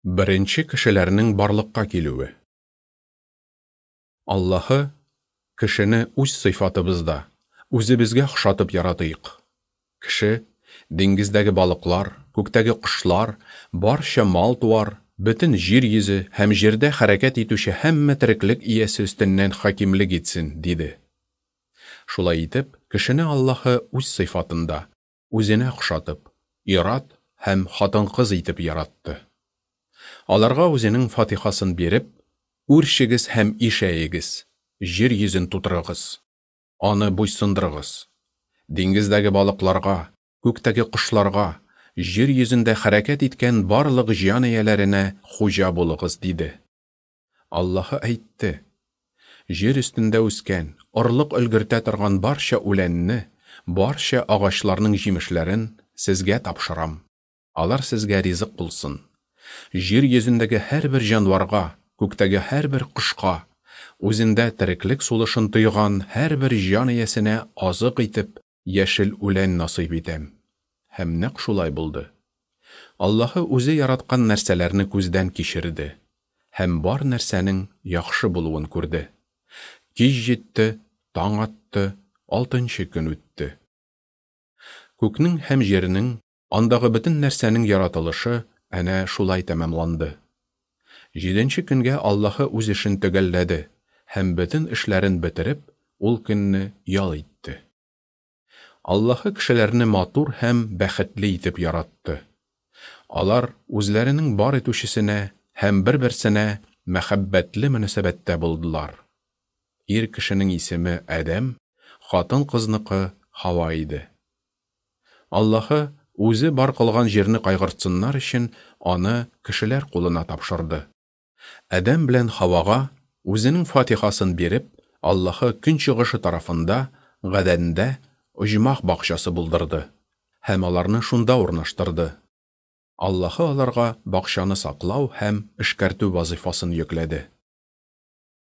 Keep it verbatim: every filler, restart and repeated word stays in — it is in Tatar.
Беренче кешеләрнең барлыкка килүе. Аллаһы: "Кешене үз сыйфатыбызда, үзебезгә охшатып яратыйк. Кеше диңгездәге балыклар, күктәге кошлар, барча мал-туар, бөтен җир йөзе һәм җирдә хәрәкәт итүче һәммә тереклек иясе өстеннән хакимлек итсен", диде. Шулай итеп, кешене Аллаһы үз сыйфатында, үзенә охшатып, ир-ат һәм хатын-кыз итеп яратты. Аларга үзенең фатихасын биреп: "Үрчегез һәм ишәегез, җир йөзен тутырыгыз, аны буйсындырыгыз. Диңгездәге балыкларга, күктәге кошларга, җир йөзендә хәрәкәт иткән барлык җан ияләренә хуҗа булыгыз", диде. Аллаһы әйтте: "Җир өстендә үскән, орлык өлгертә торган барча үләнне, барча агачларның җимешләрен сезгә тапшырам. Алар сезгә ризык булсын. Җир йөзендәге һәрбер җанварга, күктәге һәрбер кошка, үзендә тереклек сулышын тойган һәрбер җан иясенә азык итеп яшел үлән насыйп итәм". Һәм нәкъ шулай булды. Аллаһы үзе яраткан нәрсәләрне күздән кичерде һәм бар нәрсәнең яхшы булуын күрде. Кич җитте, таң атты, алтынчы көн үтте. Күкнең һәм җирнең, андагы бөтен нәрсәнең яратылышы әнә шулай тәмамланды. Җиденче көнгә Аллаһы үз эшен төгәлләде һәм бөтен эшләрен бетереп, ул көнне ял итте. Аллаһы кешеләрне матур һәм бәхетле итеп яратты. Алар үзләренең бар итүчесенә һәм бер-берсенә мәхәббәтле мөнәсәбәттә булдылар. Ир кешенең исеме Адәм, хатын-кызныкы Һава иде. Аллаһы үзе бар кылган җирне кайгыртсыннар өчен аны кешеләр кулына тапшырды. Адәм белән Һавага үзенең фатихасын биреп, Аллаһы көнчыгышы тарафында, Гадәндә оҗмах бакчасы булдырды һәм аларны шунда урнаштырды. Аллаһы аларга бакчаны саклау һәм эшкәртү вазифасын йөкләде.